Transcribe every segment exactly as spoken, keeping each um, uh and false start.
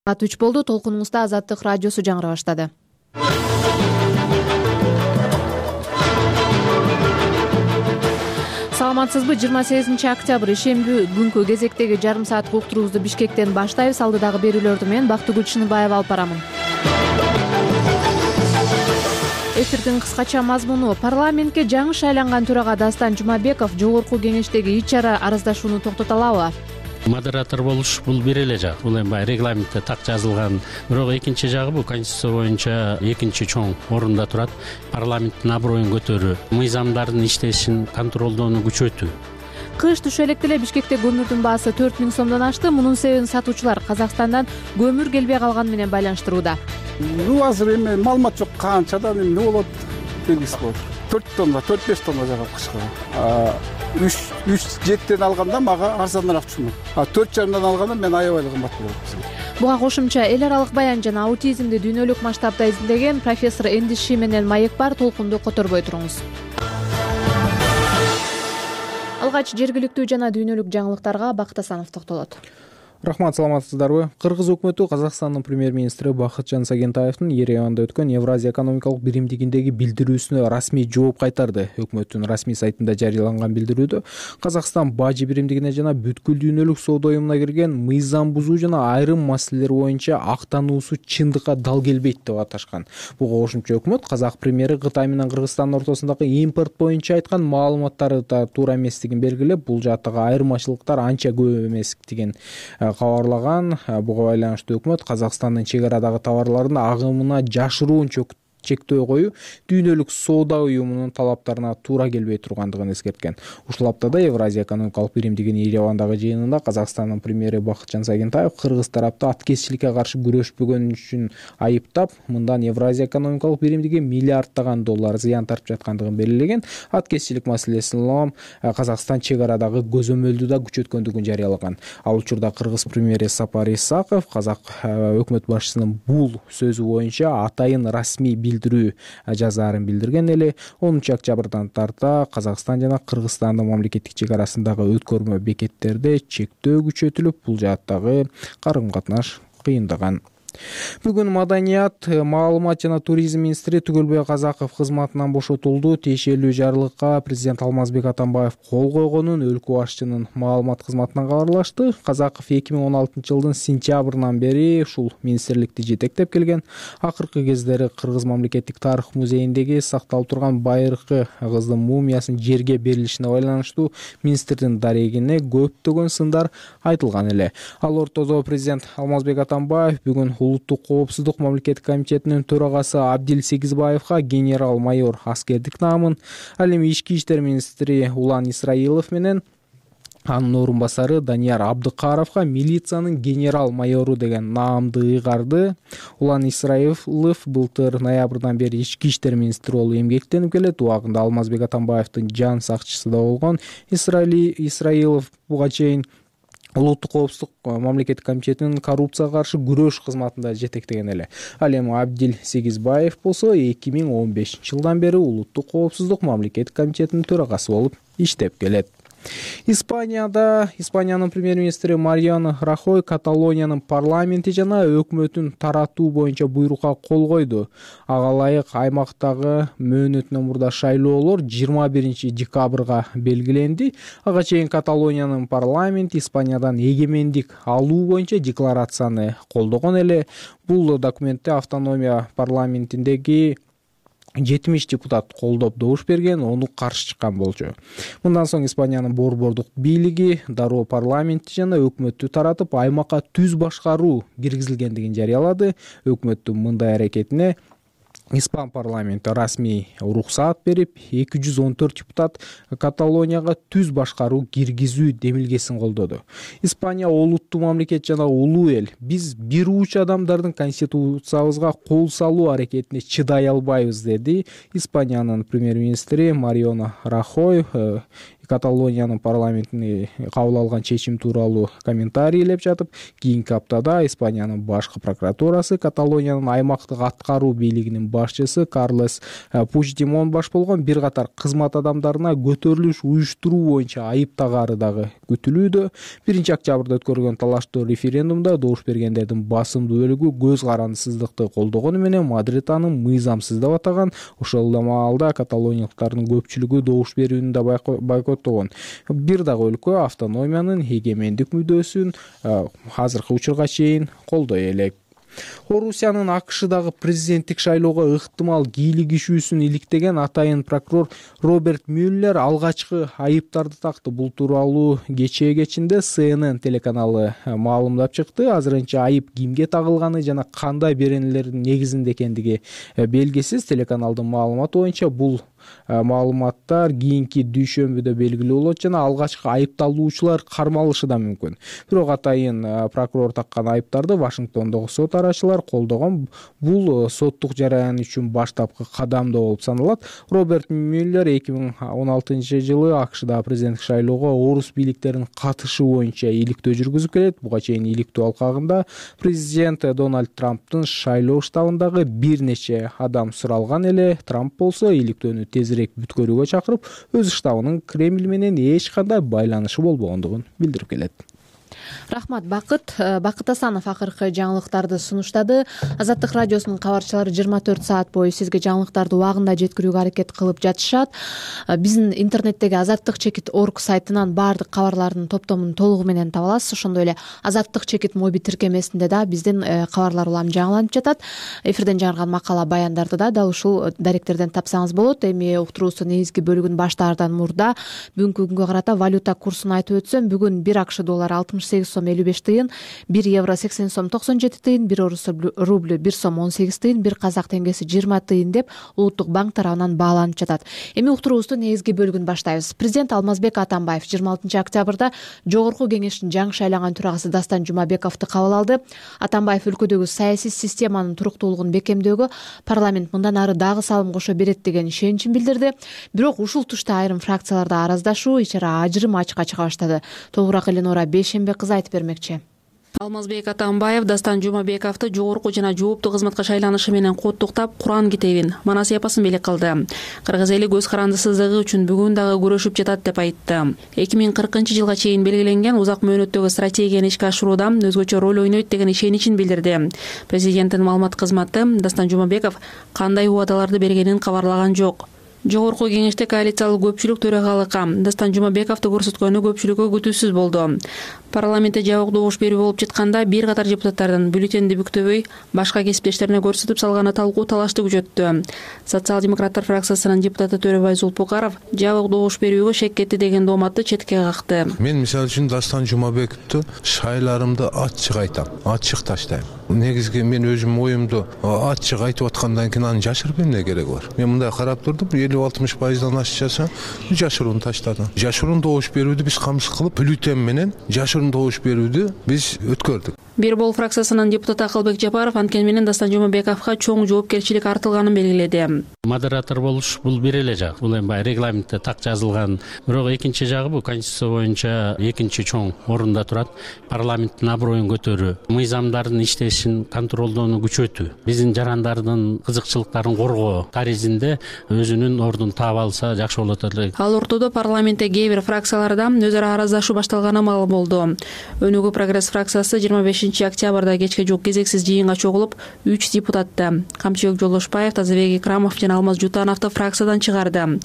Саат үч болду. Толкунуңузда Азаттык радиосу жаңыра баштады. Саламатсызбы? жыйырма сегизинчи октябрь ишемби күнкү кезектеги жарым сааттык уктуруубузду Бишкектен баштайбыз. Алдыдагы берүүлөрдү мен Бактыгүл Чыныбаева алып барамын. Эфирдин кыскача мазмуну: парламентке жаңы шайланган төрага Дастан Жумабеков жогорку кеңештеги ич чара арыздашууну токтото алабы? Модератор болуш бул бир эле жак. Бул эми баягы регламентте так жазылган. Бирок экинчи жагы бул конституция боюнча экинчи чоң орунда турат. Парламенттин аброюн көтөрүү, мыйзамдардын иштешин контролдоону күчөтүү. Кыш түшө электе эле Бишкекте көмүрдүн баасы төрт миң сомдон ашты. Мунун себебин сатуучулар Казакстандан көмүр келбей калганы менен байланыштырууда. Ну азыр эми маалымат жок, канчадан эмне болот белгисиз болот. төрт тонна, төрт беш тонна жагат кышка. үч үч жеттен алганда мага арзаныраак түшүнөт. А төрт жарымдан алганда мен аябай кымбат болот. Буга кошумча эл аралык баян жана аутизмди дүйнөлүк масштабда изилдеген профессор Эндис Шименен маек бар. Толкунду которбой туруңуз. Алгач жергиликтүү жана дүйнөлүк жаңылыктарга Бакыт Асанов токтолот. Рахмат, саламатсыздарбы? Кыргыз өкмөтү Казакстандын премьер-министри Бакытжан Сагентаевдин Ереванда өткөн Евразия экономикалык биримдигиндеги билдирүүсүнө расмий жооп кайтарды. Өкмөттүн расмий сайтында жарыяланган билдирүүдө Казакстан бажы биримдигине жана бүткүл дүйнөлүк соода уюмуна кирген мыйзам бузуу жана айрым маселелер боюнча актануусу чындыкка дал келбейт деп аташкан. Буга кошумча өкмөт казак премьери Кытай менен Кыргызстандын ортосундагы импорт боюнча айткан маалыматтары да туура эместигин белгилеп, бул жааттагы айырмачылыктар анча көп эместигин кабарлаган. Буга байланыштуу өкмөт Казакстандын чек арадагы товарлардын агымына жашыруун чектөө коюу дүйнөлүк соода уюмунун талаптарына туура келбей тургандыгын эскерткен. Ушул аптада Евразия экономикалык биримдигинин Еревандагы жыйынында Казакстандын премьери Бакытжан Сагентаев Кыргыз тарапты аткезчиликке каршы күрөшпөгөн үчүн айыптап, мындан Евразия экономикалык биримдиги миллиарддаган доллар зыян тартып жаткандыгын белгилеген. Аткезчилик маселесин улам Казакстан чек арадагы көзөмөлдү да күчөткөндүгүн жарыялаган. Ал учурда Кыргыз премьери Сапар Исаков казак өкмөт башчысынын бул сөзү боюнча атайын расмий билдирүү жазаарын билдирген эле. онунчу октябрдан тарта Казакстан жана Кыргызстандын мамлекеттик чек арасындагы өткөрмө бекеттерде чектөө күчөтүлүп, бул жааттагы карым-катнаш кыйындаган. Бүгүн Маданият, маалымат жана туризм министри Түгөлбай Казаков кызматынан бошотулду. Тиешелүү жарлыкка президент Алмазбек Атамбаев кол койгонун өлкө башчынын маалымат кызматынан кабарлашты. Казаков эки миң он алтынчы жылдын сентябрынан бери ушул министрликти жетектеп келген. Акыркы кездери Кыргыз мамлекеттик тарых музейиндеги сакталып турган байыркы кыздын мумиясынын жерге берилишине байланыштуу министрдин дарегине көптөгөн сындар айтылган эле. Ал ортодо президент Алмазбек Атамбаев бүгүн Улуттук коопсуздук мамлекеттик комитетинин төрагасы Абдил Сегизбаевга генерал-майор аскердик наамын, ал эми ички иштер министри Улан Исраилов менен анын орун басары Данияр Абдыкаровго милициянын генерал-майору деген наамды ыйгарды. Улан Исраилов былтыр ноябрдан бери ички иштер министри болуп эмгектенип келет. Убагында Алмазбек Атамбаевдин жан сакчысы да болгон. Исраилов буга чейин Улуттук коопсуздук мамлекеттик комитетинин коррупцияга каршы күрөш кызматында жетектеген эле. Ал эми Абдил Сегизбаев болсо эки миң он бешинчи жылдан бери Улуттук коопсуздук мамлекеттик комитетинин төрагасы болуп иштеп келет. Испанияда Испаниянын премьер-министри Мариано Рахой Каталониянын парламенти жана өкмөтүн таратуу боюнча буйрукка кол койду. Ага ылайык аймактагы мөөнөтүнөн мурда шайлоолор жыйырма биринчи декабрга белгиленди. Ага чейин Каталониянын парламенти Испаниядан эгемендик алуу боюнча декларацияны колдогон эле. Бул документте автономия парламентиндеги жетимиш депутат колдоп добуш берген, ону каршы чыккан болчу. Мындан соң Испаниянын борбордук бийлиги дароо парламентти жана өкмөттү таратып, аймакка түз башкаруу киргизилгендигин жарыялады. Өкмөттүн мындай аракетине Испан парламенти расмий уруксаат берип, эки жүз он төрт депутат Каталонияга түз башкаруу киргизүү демилгесин колдоду. Испания олуттуу мамлекет жана улуу эл. Биз бир уч адамдардын конституциябызга кол салуу аракетине чыдай албайбыз, деди Испаниянын премьер-министри Мариано Рахой Каталониянын парламентине кабыл алган чечим тууралуу комментарийлеп жатып, кийинки аптада Испаниянын башкы прокуратурасы Каталониянын аймактык аткаруу бийлигинин башчысы Карлес Пучдемон баш болгон бир катар кызмат адамдарына көтөрүлүш уюштуруу боюнча айып тагары дагы күтүлүүдө. биринчи октябрда өткөрүлгөн талаштуу референдумда добуш бергендердин басымдуу бөлүгү көз карандысыздыкты колдогону менен Мадрид аны мыйзамсыз деп атаган. Ошол эле маалда каталониялыктардын көпчүлүгү добуш берүүнү да бойкоттогон. Бир дагы өлкө автономиянын эгемендик мүддөсүн азыркы учурга чейин колдой элек. Орусиянын АКШдагы президенттик шайлоого ыктымал кийлигишүүсүн иликтеген атайын прокурор Роберт Мюллер алгачкы айыптарды такты. Бул тууралуу кечээ кечинде С Н Н телеканалы маалымдап чыкты. Азырынча айып кимге тагылганы жана кандай беренелердин негизинде экендиги белгисиз. Телеканалдын маалыматы боюнча бул маалыматтар кийинки дүйшөмбүдө белгилүү болот жана алгачкы айыпталуучулар кармалышы да мүмкүн. Бирок атайын прокурор таккан айыптарды Вашингтондогу сот арачылар колдогон. Бул соттук жараян үчүн баштапкы кадам да болуп саналат. Роберт Мюллер эки миң он алтынчы жылы АКШда президенттик шайлоого орус бийликтеринин катышуу боюнча иликтөө жүргүзүп келет. Буга чейин иликтөө алкагында президент Дональд Трамптын шайлоо штабындагы бир нече адам суралган эле. Трамп болсо иликтөөнү тезирээк бүткөрүүгө чакырып, өз штабынын Кремль менен эч кандай байланышы болбогондугун билдирип келет. Рахмат, Бакыт. Бакыт Асанов акыркы жаңылыктарды сунуштады. Азаттык радиосунун кабарчылары жыйырма төрт саат бою сизге жаңылыктарды убагында жеткирүүгө аракет кылып жатышат. Биздин интернеттеги азаттык чекит орг сайтынан баардык кабарлардын топтомун толугу менен таба аласыз. Ошондой эле азаттык чекит моби тиркемесинде да биздин кабарлар улам жаңыланып жатат. Эфирден жарган макала баяндарды да дал ушул даректерден тапсаңыз болот. Эми уктуруубуздун негизги бөлүгүн баштаардан мурда бүгүнкү күнгө карата валюта курсун айтып өтсөм, бүгүн бир АКШ доллары алтымыш сегиз сом элүү беш тыйын, бир евро сексен сом токсон жети тыйын, бир орус рубль бир сом он сегиз тыйын, бир казак теңгеси жыйырма тыйын деп улуттук банк тарабынан бааланып жатат. Эми уктуруубуздун негизги бөлүгүн баштайбыз. Президент Алмазбек Атамбаев жыйырма алтынчы октябрда жогорку кеңештин жаңы шайланган төрагасы Дастан Жумабековду кабыл алды. Атамбаев өлкөдөгү саясий системанын туруктуулугун бекемдөөгө парламент мындан ары дагы салым кошо берет деген ишеничин билдирди. Бирок ушул тушта айрым фракцияларда араздашуу, ичара ажырым ачка чыга баштады. Толугураак Эленора Бейшембек кызы айтып бермекчи. Алмазбек Атамбаев Дастан Жумабековду жогорку жана жооптуу кызматка шайланышы менен куттуктап, Куран китебин, манас эпосун белек кылды. Кыргыз эли көз карандысыздыгы үчүн бүгүн дагы күрөшүп жатат деп айтты. эки миң кыркынчы жылга чейин белгиленген узак мөөнөттөгү стратегияны ишке ашырууда өзгөчө роль ойнойт деген ишеничин билдирди. Президенттин маалымат кызматы Дастан Жумабеков кандай убадаларды бергенин кабарлаган жок. Жогорку кеңеште коалициялык көпчүлүк төрагалыкка Дастан Жумабековду көрсөткөнү көпчүлүккө күтүүсүз болду. Парламентте жабык добуш берүү болуп жатканда бир катар депутаттардын бюллетенди бүктөбөй башка кесиптештерине көрсөтүп салганы талкуу талашты күчөттү. Социал-демократтар фракциясынын депутаты Төрөбай Зулпукаров жабык добуш берүүгө шек кетти деген дооматты четке какты. Мен мисалы үчүн Дастан Жумабековду шайларымды ачык айтам, ачык таштайм. Негизги мен өзүм оюмду ачык айтып аткандан кийин аны жашырып эмне кереги бар? Мен мындай карап турдум, элүү алтымыш пайыздан ашчаса жашыруун таштадым. Жашыруун добуш берүүдү биз камсыз кылып, бюллетен менен жашыруун добуш берүүдү биз өткөрдүк. Бир бол фракциясынын депутаты Акылбек Жапаров анткени менен Дастан Жумабековго чоң жоопкерчилик артылганын белгиледи. Модератор болуш бул бир эле жак. Бул эми баягы регламентте так жазылган. Бирок экинчи жагы бул конституция боюнча экинчи чоң орунда турат. Парламенттин аброюн көтөрүү, мыйзамдардын иштешин контролдоону күчөтүү, биздин жарандардын кызыкчылыктарын коргоо каризинде өзүнүн ордун таап алса жакшы болот эле. Ал ортодо парламентте кээ бир фракцияларда өз ара араздашуу башталганы маалым болду. Өнүгүү прогресс фракциясы жыйырма бешинчи октябрда кечке жок кезексиз жыйынга чогулуп, үч депутатты Камчыбек Жолдошбаев, Тазабек Икрамов жана Алмаз Жутановду фракциядан чыгарды.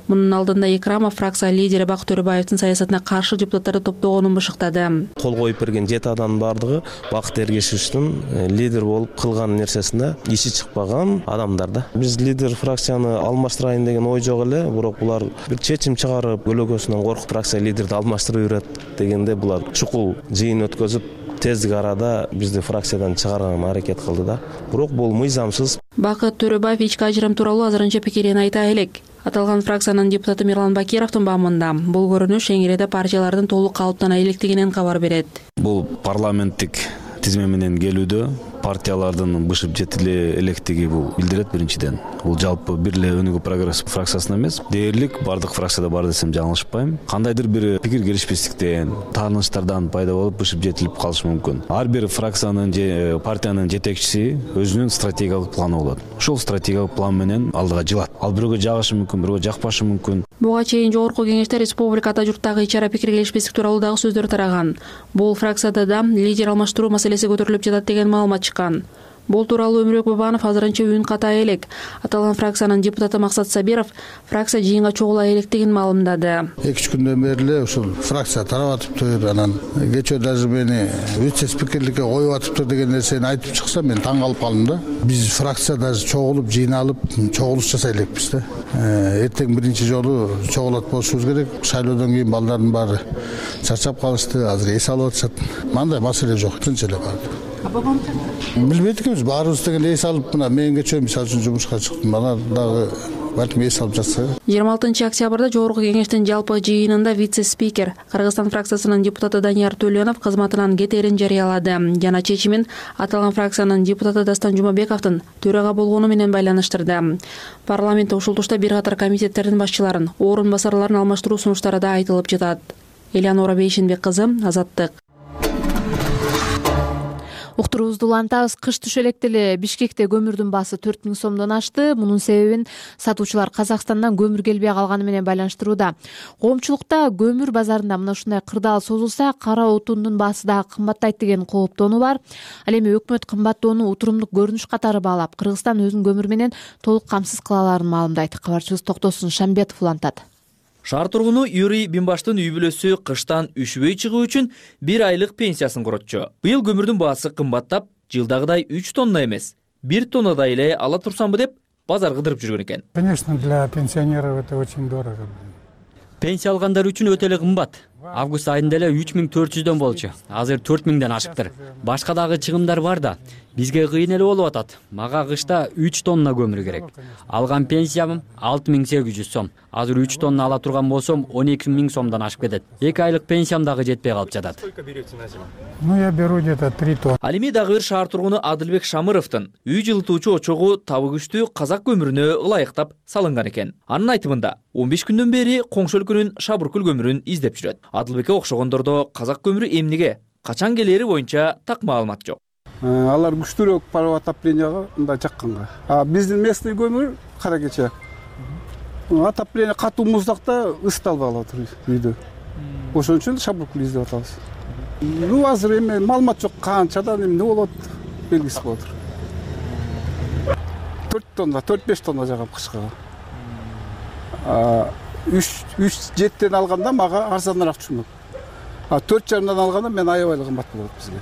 Мунун алдында Икрамов фракция лидери Бакыт Төрөбаевдин саясатына каршы депутаттарды топтогонун бышыктады. Кол коюп берген жети адамдын бардыгы Бакыт Эргешевичтин лидер болуп кылган нерсесинде иши чыкпаган адамдар да. Биз лидер фракцияны алмаштырайын деген ой жок эле, бирок булар бир чечим чыгарып, өлөгөсүнөн коркуп фракция лидерди алмаштырып берет дегенде булар чукул жыйын өткөзүп тездик арада бизди фракциядан чыгарганга аракет кылды да. Бирок бул мыйзамсыз. Бакыт Төрөбаев ички ажырым тууралуу азырынча пикирин айта элек. Аталган фракциянын депутаты Мирлан Бакировдун баамында бул көрүнүш Шеңгелде партиялардын толук калыптана электигинен кабар берет. Бул парламенттик тизме менен келүүдө партиялардын бышып жетиле электиги бул билдирет. Биринчиден бул жалпы бир эле өнүгүү прогресс фракциясына эмес, дээрлик бардык фракцияда бар десем жаңылышпайм. Кандайдыр бир пикир келишпестиктен, тааныштардан пайда болуп бышып жетилип калышы мүмкүн. Ар бир фракциянын же партиянын жетекчиси өзүнүн стратегиялык планы болот. Ошол стратегиялык план менен алдыга жылат. Ал бирөөгө жагышы мүмкүн, бирөөгө жакпашы мүмкүн. Буга чейин жогорку кеңеште республикада журттагы ич ара пикир келишпестик тууралуу дагы сөздөр тараган. Бул фракцияда да лидер алмаштыруу маселеси көтөрүлүп жатат деген маалымат чыккан. Бул тууралуу Өмүрбек Бабанов азырынча үн ката элек. Аталган фракциянын депутаты Максат Сабиров фракция жыйынга чогула электигин маалымдады. эки үч күндөн бери эле ушул фракция тарап атыптыр, анан кечээ даже мени вице спикерликке коюп атыптыр деген нерсени айтып чыкса, мен таң калып калдым да. Биз фракция даже чогулуп, жыйналып, чогулуш жасай элекпиз да. Эртең биринчи жолу чогулат болушубуз керек. Шайлоодон кийин балдардын баары чарчап калышты, азыр эс алып атышат. Мындай маселе жок, тынч эле барды. Билбейт экенбиз, баарыбыз деген эс алып, мына мен кечээ мисалы үчүн жумушка чыктым, бана дагы балким эс алып жатса. жыйырма алтынчы октябрда жогорку кеңештин жалпы жыйынында вице-спикер Кыргызстан фракциясынын депутаты Данияр Төлөнов кызматынан кетерин жарыялады. Жана чечимин аталган фракциянын депутаты Дастан Жумабековдун төрага болгону менен байланыштырды. Парламентте ушул тушта бир катар комитеттердин башчыларын, орун басарларын алмаштыруу сунуштары да айтылып жатат. Элеонора Бейшенбек кызы, Азаттык. Уктуруубузду улантабыз. Кыш түшө электе эле Бишкекте көмүрдүн баасы төрт миң сомдон ашты. Мунун себебин сатуучулар Казакстандан көмүр келбей калганы менен байланыштырууда. Коомчулукта көмүр базарында мына ушундай кырдаал созулса, кара отундун баасы дагы кымбаттайт деген кооптонуу бар. Ал эми өкмөт кымбаттоону утурумдук көрүнүш катары баалап, Кыргызстан өзүн көмүр менен толук камсыз кыла аларын маалымдайт. Кабарчыбыз Токтосун Шамбетов улантат. Шаар тургуну Юрий Бимбаштын үй бүлөсү кыштан үшүбөй чыгуу үчүн бир айлык пенсиясын коротчу. Быйыл көмүрдүн баасы кымбаттап, жылдагыдай үч тонна эмес, бир тоннадай эле ала турсамбы деп базар кыдырып жүргөн экен. Конечно, для пенсионеров это очень дорого. Пенсия алгандар үчүн өтө эле кымбат. Август айында эле үч миң төрт жүздөн болчу. Азыр төрт миңден ашыптыр. Башка дагы чыгымдар бар да. Бизге кыйын эле болуп атат. Мага кышта үч тонна көмүр керек. Алган пенсиям алты миң сегиз жүз сом. Азыр үч тонна ала турган болсом он эки миң сомдон ашып кетет. эки айлык пенсиям дагы жетпей калып жатат. Ну я беру где-то три тонны. Ал эми дагы бир шаар тургуну Адылбек Шамыровдун үй жылытуучу очогу табы күчтүү казак көмүрүнө ылайыктап салынган экен. Анын айтымында он беш күндөн бери коңшу өлкөнүн Шабыркөл көмүрүн издеп жүрөт. Адылбекке окшогондордо казак көмүрү эмнеге, качан келери боюнча так маалымат жок. Алар күчтүүрөөк паровой отопленияга мындай жакканга. А биздин местный көмүр кара кече. Отопление катуу муздакта ысыталбай калат үйдө. Ошон үчүн Шабыркөл издеп атабыз. Ну азыр эми маалымат жок, канчадан эмне болот белгисиз болот. төрт тонна, төрт беш тонна жагам кышка. үч жеттен алганда мага арзаныраак түшмөк. А төрт жарымдан алганда мен аябай эле кымбат болот бизге.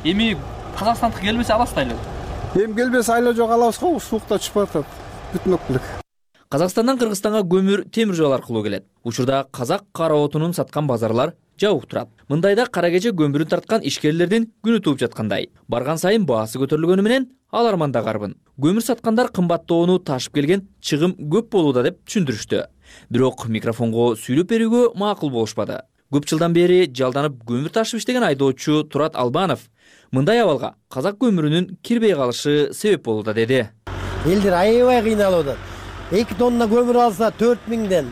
Эми Казакстандык келбесе аласыз айлы. Эми келбесе айлы жок алабыз го, суукта түшүп атат. Бүтүнөк белек. Казакстандан Кыргызстанга көмүр темир жол аркылуу келет. Учурда казак кара отунун саткан базарлар жабык турат. Мындайда кара кече көмүрүн тарткан ишкерлердин күнү тууп жаткандай. Барган сайын баасы көтөрүлгөнү менен ал арманда карбын. Көмүр саткандар кымбаттоону ташып келген чыгым көп болууда деп түшүндүрүштү. Бирок микрофонго сүйлөп берүүгө макул болушпады. Көп жылдан бери жалданып көмүр ташып иштеген айдоочу Турат Албанов мындай абалга казак көмүрүнүн кирбей калышы себеп болууда деди. Элдер аябай кыйналып атат. эки тонна көмүр алса төрт миңден,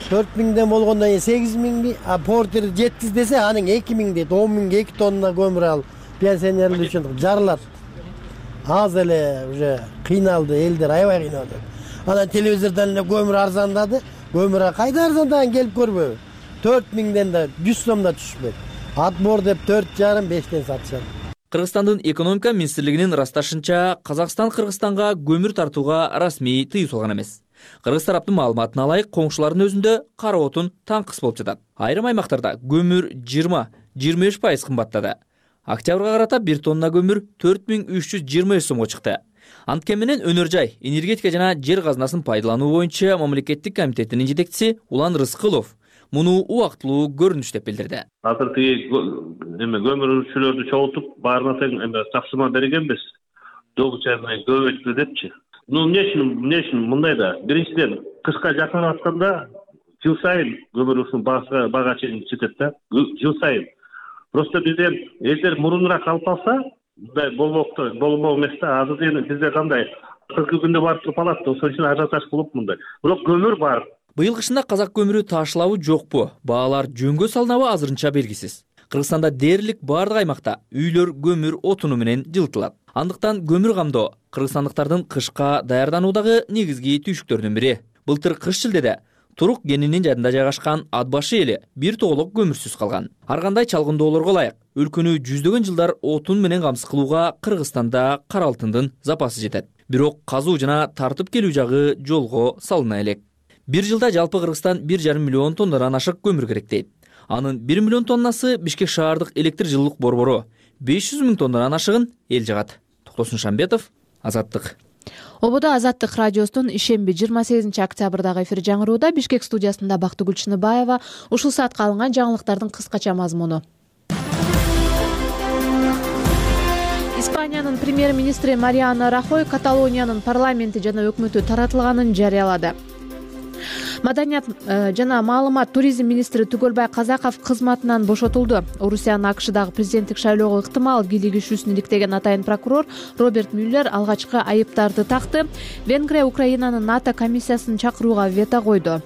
төрт миңден болгондон кийин сегиз миңби, а портер жеткиз десе анын эки миң дейт. он миңге эки тонна көмүр ал пенсионерлер үчүн жарылат. Аз эле уже кыйналды, элдер аябай кыйналып атат. Анан телевизордон эле көмүр арзандады. Көмүр кайда арзандаган келип көрбөбү? төрт миңден да жүз сом да түшпөйт. Отбор деп төрт жарым бештен сатышат. Кыргызстандын экономика министрлигинин ырасташынча, Казакстан Кыргызстанга көмүр тартууга расмий тыюу салган эмес. Кыргыз тараптын маалыматына ылайык, коңшулардын өзүндө кара отун таңкыс болуп жатат. Айрым аймактарда көмүр жыйырма жыйырма беш пайыз кымбаттады. Октябрга карата бир тонна көмүр төрт миң үч жүз жыйырма беш сомго чыкты. Анткени менен өнөр жай, энергетика жана жер казынасын пайдалануу боюнча мамлекеттик комитетинин жетекчиси Улан Рыскылов муну убактылуу көрүнүш деп билдирди. Азыр тиги эме көмүрчүлөрдү чогултуп, баарына тең эме тапсырма бергенбиз. Догучайны көбөйтү депчи. Ну эмне үчүн, эмне үчүн мындай да? Биринчиден, кышка жакын атканда жыл сайын көмүрүнүн баасы бага чейин жетет да. Жыл сайын. Просто бизден элдер мурунураак алып алса, мындай болмок болмок эмес да. Азыр эми бизде кандай кыркы күндө барып туруп алат да, ошон үчүн ажиотаж кылып мындай. Бирок көмүр бар. Быйыл кышында казак көмүрү таашылабы жокпу, баалар жөнгө салынабы азырынча белгисиз. Кыргызстанда дээрлик бардык аймакта үйлөр көмүр отуну менен жылытылат. Андыктан көмүр камдоо кыргызстандыктардын кышка даярдануудагы негизги түйшүктөрдүн бири. Былтыр кыш шилдеде Турук кенинин жайында жайгашкан Ат башы эли бир тоголок көмүрсүз калган. Ар кандай чалгындоолорго ылайык өлкөнү жүздөгөн жылдар отун менен камсыз кылууга Кыргызстанда кара алтындын запасы жетет. Бирок казуу жана тартып келүү жагы жолго салына элек. Бир жылда жалпы Кыргызстан бир жарым миллион тоннадан ашык көмүр керек дейт. Анын бир миллион тоннасы Бишкек шаардык электр жылуулук борбору, беш жүз миң тоннадан ашыгын эл жагат. Токтосун Шамбетов, Азаттык. Ободо Азаттык радиосунун ишемби жыйырма сегизинчи октябрдагы эфир жаңырууда. Бишкек студиясында Бактыгүл Чыныбаева. Ушул саатка алынган жаңылыктардын кыскача мазмуну. Испаниянын премьер-министри Мариано Рахой Каталониянын парламенти жана өкмөтү таратылганын жарыялады. Маданият жана маалымат туризм министри Түгөлбай Казаков кызматынан бошотулду. Орусиянын АКШдагы президенттик шайлоого ыктымал кийлигишүүсүн иликтеген атайын прокурор Роберт Мюллер алгачкы айыптарды такты. Венгрия Украинанын НАТО комиссиясын чакырууга вето койду.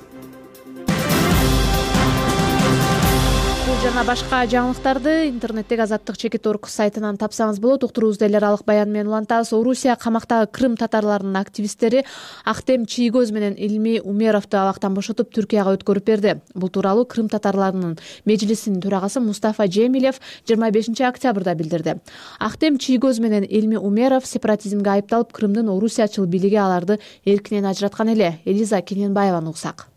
Жана башка жаңылыктарды интернеттеги Азаттык чекит орг сайтынан тапсаңыз болот. Уктуруубузда эл аралык баян менен улантабыз. Орусия камактагы Крым татарларынын активисттери Ахтем Чийгөз менен Илми Умеровду абактан бошотуп Түркияга өткөрүп берди. Бул тууралуу Крым татарларынын межлисинин төрагасы Мустафа Джемилев жыйырма бешинчи октябрда билдирди. Ахтем Чийгөз менен Илми Умеров сепаратизмге айыпталып, Крымдын орусиячыл бийлиги аларды эркинен ажыраткан эле. Элиза Кененбаеваны угсак.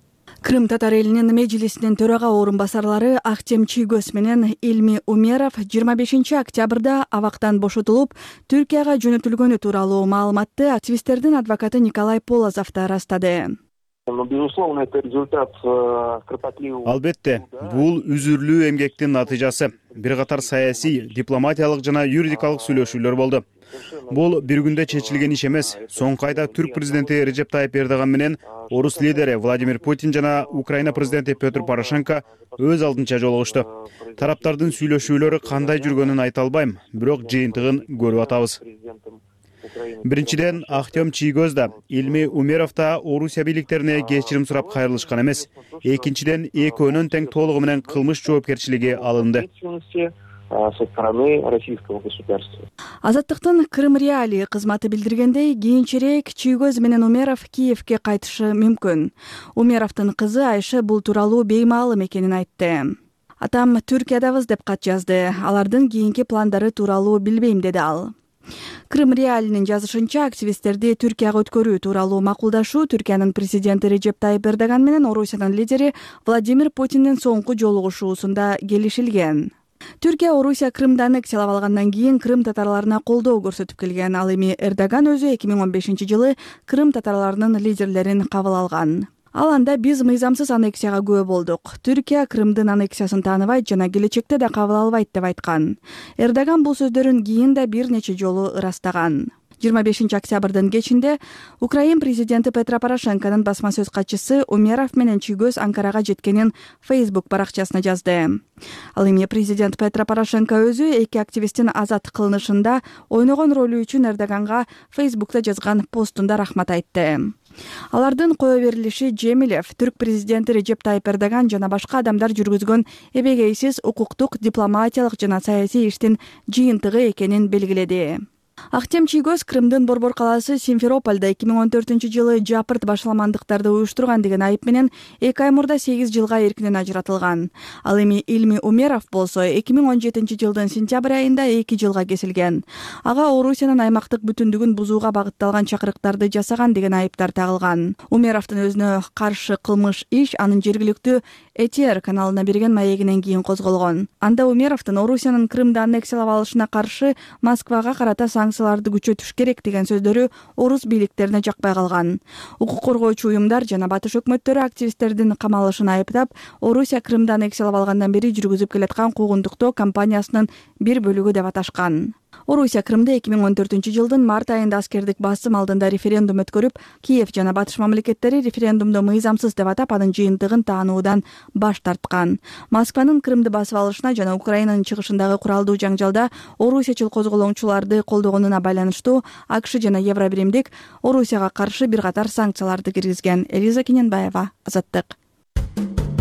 Крым татар элинин межлисинин төрага орун басарлары Ахтем Чийгөз менен Илми Умеров жыйырма бешинчи октябрда абактан бошотулуп, Түркияга жөнөтүлгөнү тууралуу маалыматты активисттердин адвокаты Николай Полозов да ырастады. Албетте, бул үзүрлүү эмгектин натыйжасы. Бир катар саясий, дипломатиялык жана юридикалык сүйлөшүүлөр болду. Бул бир күндө чечилген иш эмес. Соңку айда Түрк президенти Режеп Тайып Эрдоган менен орус лидери Владимир Путин жана Украина президенти Петр Порошенко өз алдынча жолугушту. Тараптардын сүйлөшүүлөрү кандай жүргөнүн айта албайм, бирок жыйынтыгын көрүп атабыз. Биринчиден, Ахтем Чийгөз да, Илми Умеров да Орусия бийликтерине кечирим сурап кайрылышкан эмес. Экинчиден, экөөнүн тең толугу менен кылмыш жоопкерчилиги алынды. со стороны российского государства. Азаттыктын Крым Реалии кызматы билдиргендей, кийинчерээк Чийгөз менен Умеров Киевке кайтышы мүмкүн. Умеровдун кызы Айша бул тууралуу беймаалым экенин айтты. Атам Түркиядабыз деп кат жазды. Алардын кийинки пландары тууралуу билбейм, деди ал. Крым Реалинин жазышынча, активисттерди Түркияга өткөрүү тууралуу макулдашуу Түркиянын президенти Режеп Тайып Эрдоган менен Орусиянын лидери Владимир Путиндин соңку жолугушуусунда келишилген. Түркия Орусия Крымды аннексиялап алгандан кийин Крым татарларына колдоо көрсөтүп келген. Ал эми Эрдоган өзү эки миң он бешинчи жылы Крым татарларынын лидерлерин кабыл алган. Ал анда биз мыйзамсыз аннексияга күбө болдук. Түркия Крымдын аннексиясын тааныбайт жана келечекте да кабыл албайт деп айткан. Эрдоган бул сөздөрүн кийин да бир нече жолу ырастаган. жыйырма бешинчи октябрдын кечинде Украин президенти Петро Порошенконун басма сөз катчысы Умеров менен Чийгөз Анкарага жеткенин Facebook баракчасына жазды. Ал эми президент Петро Порошенко өзү эки активисттин азат кылынышында ойногон ролу үчүн Эрдоганга Facebook'та жазган постунда рахмат айтты. Алардын кое берилиши Джемилев, түрк президенти Режеп Тайып Эрдоган жана башка адамдар жүргүзгөн эбегейсиз укуктук, дипломатиялык жана саясий иштин жыйынтыгы экенин белгиледи. Ахтем Чийгөз Крымдын Борбор калаасы Симферопольдо эки миң он төртүнчү жылы жапырт башаламандыктарды уюштурган деген айып менен эки ай мурда сегиз жылга эркинен ажыратылган. Ал эми Илми Умеров болсо эки миң он жетинчи жылдын сентябрь айында эки жылга кесилген. Ага Орусиянын аймактык бүтүндүгүн бузууга багытталган чакырыктарды жасаган деген айыптар тагылган. Умеровдун өзүнө каршы кылмыш иш анын жергиликтүү Этер каналына берген маегинен кийин козголгон. Анда Умеровдун Орусиянын Крымды аннексиялап алышына каршы Москвага карата санкцияларды күчөтүш керек деген сөздөрү орус бийликтерине жакпай калган. Укук коргоочу уюмдар жана батыш өкмөттөрү активисттердин камалышын айыптап, Орусия Крымды аннексиялап алгандан бери жүргүзүп келаткан куугунтуктоо кампаниясынын бир бөлүгү деп аташкан. Орусия Крымда эки миң он төртүнчү жылдын март айында аскердик басым алдында референдум өткөрүп, Киев жана батыш мамлекеттери референдумду мыйзамсыз деп атап, анын жыйынтыгын таануудан баш тарткан. Москванын Крымды басып алышына жана Украинанын чыгышындагы куралдуу жаңжалда орусиячыл козголоңчуларды колдогонуна байланыштуу АКШ жана Евробиримдик Орусияга каршы бир катар санкцияларды киргизген. Элиза Кененбаева, Азаттык.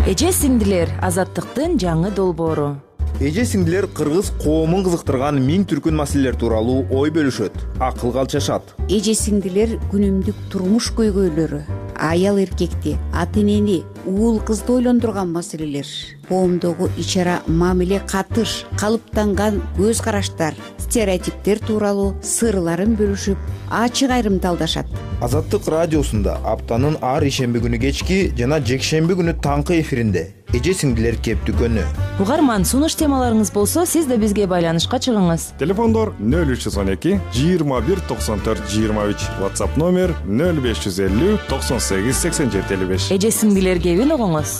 Эже сиңдилер, Азаттыктын жаңы долбоору. Эже сиңдилер кыргыз коомун кызыктырган миң түркүн маселелер тууралуу ой бөлүшөт, акылга алчашат. Эже сиңдилер күнүмдүк турмуш көйгөйлөрү, аял эркекти, ата энени, уул кызды ойлондурган маселелер, коомдогу ич ара мамиле, катыш, калыптанган көз караштар, стереотиптер тууралуу сырларын бөлүшүп, ачык айрымдалдашат. Азаттык радиосунда аптанын ар ишемби күнү кечки жана жекшемби күнү таңкы эфиринде эже сиңдилер кептүкөнү. Угарман, сунуш темаларыңыз болсо, сиз да бизге байланышка чыгыңыз. Телефондор нөл үч жүз он эки жыйырма бир токсон төрт жыйырма үч, WhatsApp номер нөл беш жүз элүү токсон сегиз сексен жети элүү беш. Эже сиңдилер кебин угуңуз.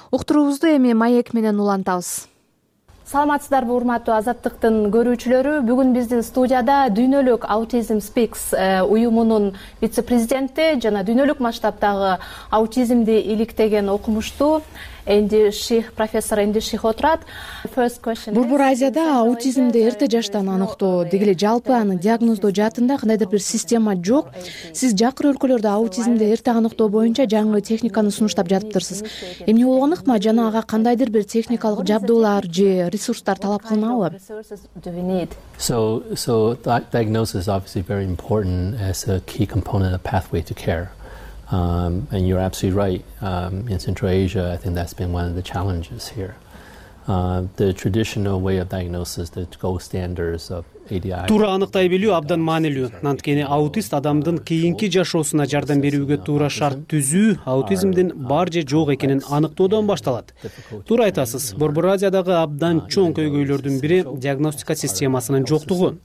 Уктуруубузду эми маек менен улантабыз. Саламатсыздарбы, урматтуу Азаттыктын көрүүчүлөрү. Бүгүн биздин студияда Дүйнөлүк Autism Speaks уюмунун вице-президенти жана дүйнөлүк масштабдагы аутизмди иликтеген окумуштуу Энди Ших, профессор Энди Ших отурат. Борбор Азияда аутизмди эрте жаштан аныктоо, дегеле жалпы аны диагноздоо жаатында кандайдыр бир система жок. Сиз жакыр өлкөлөрдө аутизмди эрте аныктоо боюнча жаңы техниканы сунуштап жатыптырсыз. Эмне болгон ыкма жана ага кандайдыр бир техникалык жабдуулар же ресурстар талап кылынабы? So, so diagnosis is obviously very important as a key component of pathway to care. Um, and you're absolutely right. Um, in Central Asia, I think that's been one of the challenges here. Uh, the traditional way of diagnosis, the gold standards of A D I. Туура аныктай билүү абдан маанилүү. Анткени аутист адамдын кийинки жашоосуна жардам берүүгө туура шарт түзүү аутизмдин бар же жок экенин аныктоодон башталат. Туура айтасыз. Борбор Азиядагы абдан чоң көйгөйлөрдүн бири диагностика системасынын жоктугу.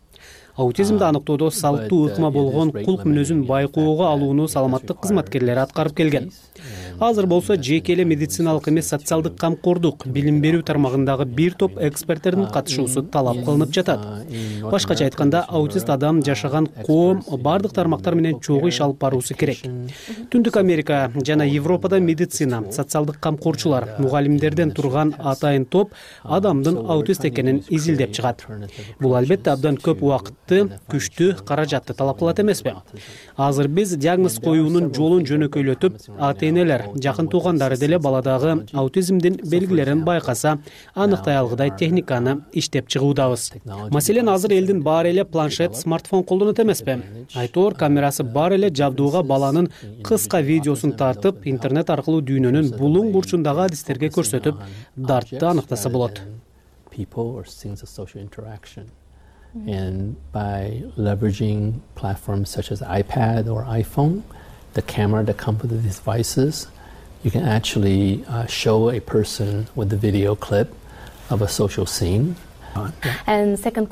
Аутизмди аныктоодо салттуу ыкма болгон кулк мүнөзүн байкоого алууну саламаттык кызматкерлери аткарып келген. Азыр болсо жеке эле медициналык эмес социалдык камкордук, билим берүү тармагындагы бир топ эксперттердин катышуусу талап кылынып жатат. Башкача айтканда, аутист адам жашаган коом бардык тармактар менен чогуу иш алып баруусу керек. Түндүк Америка жана Европада медицина, социалдык камкорчулар, мугалимдерден турган атайын топ адамдын аутист экенин изилдеп чыгат. Бул албетте абдан көп убакытты, күчтүү, каражатты талап кылат эмеспи? Азыр биз диагноз коюунун жолун жөнөкөйлөтүп, ата энелер, жакын туугандары деле баладагы аутизмдин белгилерин байкаса, аныктай алгыдай техниканы иштеп чыгуудабыз. Маселен, азыр элдин баары эле планшет, смартфон колдонот эмеспи? Айтор камерасы бар эле жабдууга баланын кыска видеосун тартып, интернет аркылуу дүйнөнүн булуң бурчундагы адистерге көрсөтүп, дартты аныктаса болот. And by leveraging platforms such as iPad or iPhone, the camera that comes with the devices, you can actually uh, show a person with the video clip of a social scene. Азыркы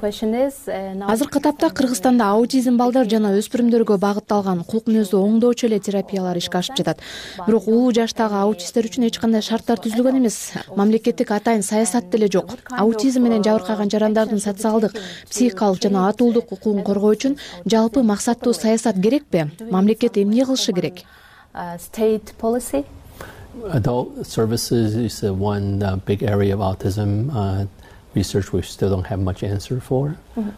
тапта Кыргызстанда аутизм балдар жана өспүрүмдөргө багытталган кулк мүнөздүү оңдоочу эле терапиялар ишке ашып жатат. Бирок улуу жаштагы аутисттер үчүн эч кандай шарттар түзүлгөн эмес. Мамлекеттик атайын саясат деле жок. Аутизм менен жабыркаган жарандардын социалдык, психикалык жана атуулдук укугун коргоо үчүн жалпы максаттуу саясат керекпи? Мамлекет эмне кылышы керек? State policy? Adult services is one uh, big area of autism. Uh, research we still don't have much answer for. Mm-hmm.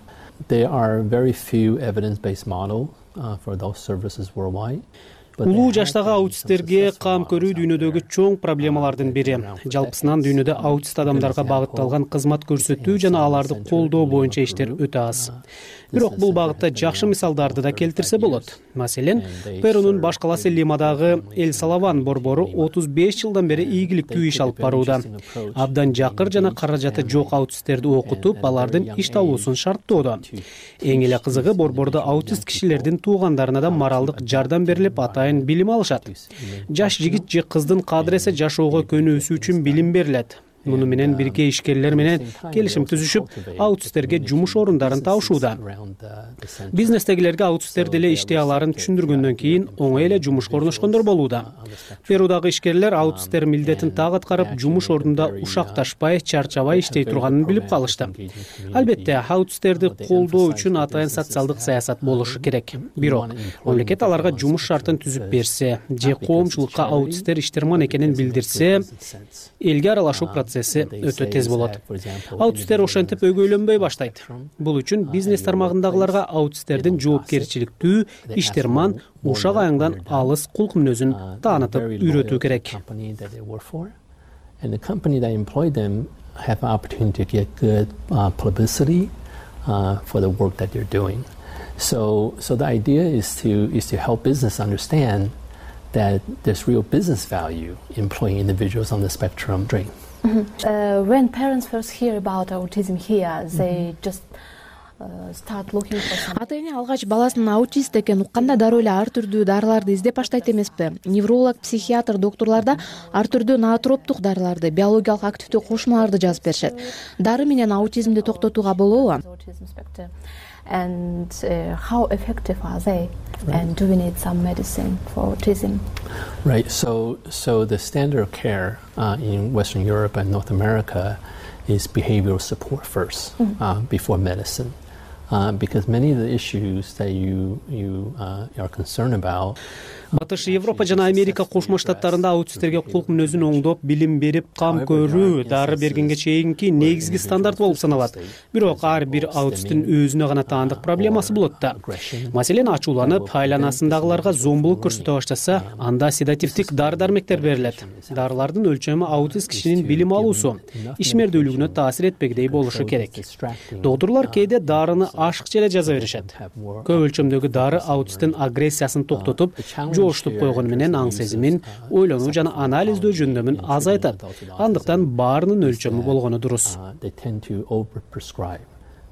There are very few evidence-based models uh, for those services worldwide. Улуу жаштагы аутисттерге кам көрүү дүйнөдөгү чоң проблемалардын бири. Жалпысынан дүйнөдө аутист адамдарга багытталган кызмат көрсөтүү жана аларды колдоо боюнча иштер өтө аз. Бирок бул багытта жакшы мисалдарды да келтирсе болот. Маселен, Перунун баш калаасы Лимадагы Эл Салаван борбору отуз беш жылдан бери ийгиликтүү иш алып барууда. Абдан жакыр жана каражаты жок аутисттерди окутуп, алардын иш табуусун шарттоодо. Эң эле кызыгы, борбордо аутист кишилердин туугандарына да моралдык жардам берилип, атайын билим алышат. Жаш жигит же кыздын кадыресе жашоого көнүүсү үчүн билим берилет. муну менен бирге ишкерлер менен келишим түзүшүп, аутисттерге жумуш орундарын табышууда. Бизнестегилерге аутисттер деле иштей аларын түшүндүргөндөн кийин оңой эле жумушка орношкондор болууда. Перудагы ишкерлер аутисттер милдетин так аткарып, жумуш ордунда ушакташпай, чарчабай иштей турганын билип калышты. Албетте, аутисттерди колдоо үчүн атайын социалдык саясат болушу керек. Бирок, мамлекет аларга жумуш шартын түзүп берсе, же коомчулукка аутисттер иштерман экенин билдирсе, элге аралашуу процесси өтө тез болот. Аутисттер ошентип өгөйлөнбөй баштайт. Бул үчүн бизнес тармагындагыларга аутисттердин жоопкерчиликтүү, иштерман, ушак аяңдан алыс кулк мүнөзүн таанытып үйрөтүү керек. And the company that employ them have an opportunity to get good uh, publicity uh, for the work that they're doing. So, so the idea is to is to help business understand that there's real business value in employing individuals on the spectrum. Mm-hmm. Uh, when parents first hear about autism here, they mm-hmm. just ата эне алгач баласынын аутист экенин укканда дароо эле ар түрдүү дарыларды издеп баштайт эмеспи? Невролог, психиатр, доктурларда ар түрдүү ноотроптук дарыларды, биологиялык активдүү кошмаларды жазып беришет. Дары менен аутизмди токтотууга болобу? And uh, how effective are they? Right. And do we need some medicine for autism? Right. So, so the standard of care uh, in Western Europe and North America is behavioral support first, mm-hmm. uh, before medicine. Uh, because many of the issues that you you uh, are concerned about. Батыш Европа жана Америка кошмо штаттарында аутисттерге кулк мүнөзүн оңдоп, билим берип, кам көрүү, дары бергенге чейинки негизги стандарт болуп саналат. Бирок ар бир аутисттин өзүнө гана таандык проблемасы болот да. Маселен, ачууланып, айланасындагыларга зомбулук көрсөтө баштаса, анда седативдик дары-дармектер берилет. Дарылардын өлчөмү аутист кишинин билим алуусу, ишмердүүлүгүнө таасир этпегидей болушу керек. Доктурлар кээде дарыны ашыкча эле жаза беришет. Көп өлчөмдөгү дары аутисттин агрессиясын токтотуп, жоштуп койгону менен аң сезимин, ойлонуу жана анализдөө жөндөмүн азайтат. Андыктан баарынын өлчөмү болгону дурус.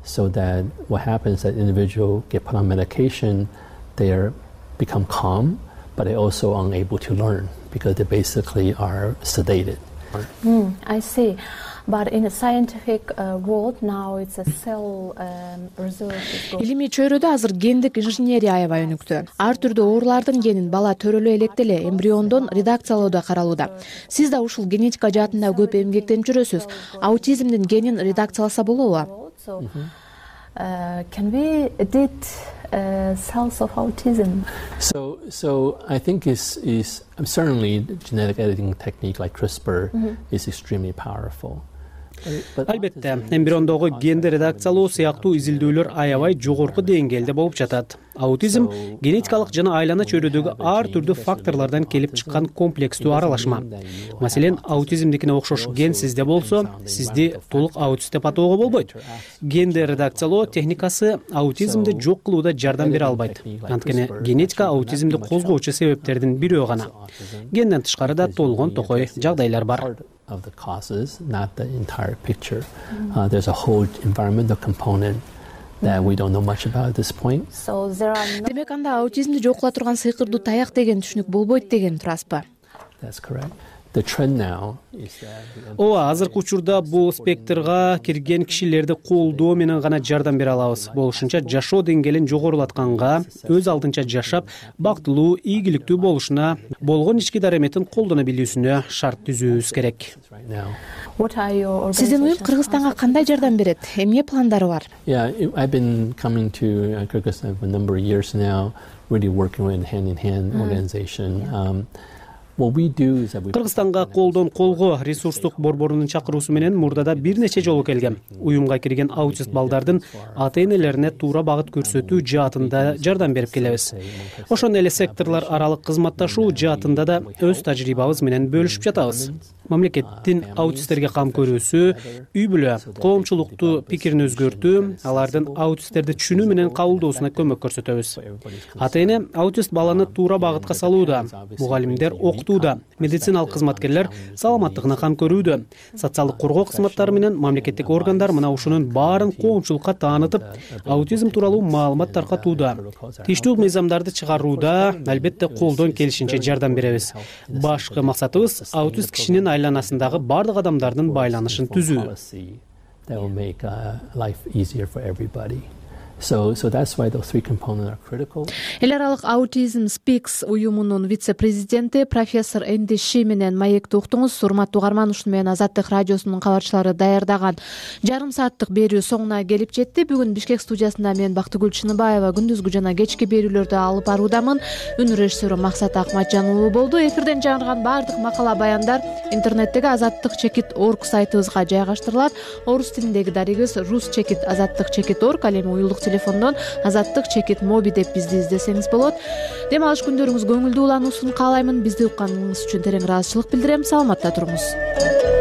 So that what happens that individual get put on medication, they are become calm, but they also unable to learn because they basically are sedated. Mm, I see. But in a scientific uh, world now it's a cell um, research. Илимий чөйрөдө азыр гендик инженерия аябай өнүктү. Ар түрдүү оорулардын генин бала төрөлө элек эле эмбриондон редакциялоодо каралууда. Сиз да ушул генетика жаатында көп эмгектенип жүрөсүз. Аутизмдин генин редакцияласа болобу? Uh, can we edit uh, cells of autism? So, so I think is is certainly genetic editing technique like CRISPR mm-hmm. is extremely powerful. Албетте, эмбриондогу генди редакциялоо сыяктуу изилдөөлөр аябай жогорку деңгээлде болуп жатат. Аутизм генетикалык жана айлана чөйрөдөгү ар түрдүү факторлордон келип чыккан комплекстүү аралашма. Маселен, аутизмдикине окшош ген сизде болсо, сизди толук аутист деп атоого болбойт. Генди редакциялоо техникасы аутизмди жок кылууда жардам бере албайт. Анткени генетика аутизмди козгоочу себептердин бирөө гана. Генден тышкары да толгон токой жагдайлар бар. Of the causes, not the entire picture. Mm-hmm. Uh, there's a whole environmental component that we don't know much about at this point. So there are no... Демек анда аутизмди жок кыла турган сыйкырдуу таяк деген түшүнүк болбойт деген турасызбы? That's correct. The trend now is that Ооба, азыркы учурда бул спектрга кирген кишилерди колдоо менен гана жардам бере алабыз. Болушунча жашоо деңгээлин жогорулатканга, өз алдынча жашап, бактылуу, ийгиликтүү болушуна, болгон ички дареметин колдоно билүүсүнө шарт түзүүбүз керек. Сиздин уюм Кыргызстанга кандай жардам берет? Эмне пландары бар? Yeah, I've been coming to Kyrgyzstan for a number of years now, really working with hand in hand organization. Um, Кыргызстанга колдон колго ресурстук борборунун чакыруусу менен мурдада бир нече жолу келгем. Уюмга кирген аутист балдардын ата-энелерине туура багыт көрсөтүү жаатында жардам берип келебиз. Ошондой эле секторлор аралык кызматташуу жаатында да өз тажрыйбабыз менен бөлүшүп жатабыз. Мамлекеттин аутисттерге кам көрүүсү, үй бүлө, коомчулукту пикирин өзгөртүү, алардын аутисттерди түшүнүү менен кабылдоосуна көмөк көрсөтөбүз. Ата-эне аутист баланы туура багытка салууда, мугалимдер окутууда, медициналык кызматкерлер саламаттыгына кам көрүүдө, социалдык коргоо кызматтары менен мамлекеттик органдар мына ушунун баарын коомчулукка таанытып, аутизм тууралуу маалымат таркатууда, тийиштүү мыйзамдарды чыгарууда, албетте колдон келишинче жардам беребиз. Башкы максатыбыз аутист кишинин айланасындагы бардык адамдардын байланышын түзүү. That will make uh, life easier for everybody. So, so that's why those three components are critical. Эл аралык Autism Speaks уюмунун вице-президенти профессор Энди Ши менен маекти уктуңуз. Урматтуу угарман, ушуну менен Азаттык радиосунун кабарчылары даярдаган жарым сааттык берүү соңуна келип жетти. Бүгүн Бишкек студиясында мен Бактыгүл Чыныбаева күндүзгү жана кечки берүүлөрдү алып баруудамын. Үн режиссеру Максат Акматжан уулу болду. Эфирден жаңырган баардык макала баяндар интернеттеги азаттык чекит точка орг сайтыбызга жайгаштырылат. Орус тилиндеги дарегибиз рус чекит азаттык чекит точка орг, ал эми уюлдук телефондон азаттык чекит моби деп бизди издесеңиз болот. Дем алыш күндөрүңүз көңүлдүү улануусун каалаймын. Бизди укканыңыз үчүн терең ыраазычылык билдирем. Саламатта туруңуз.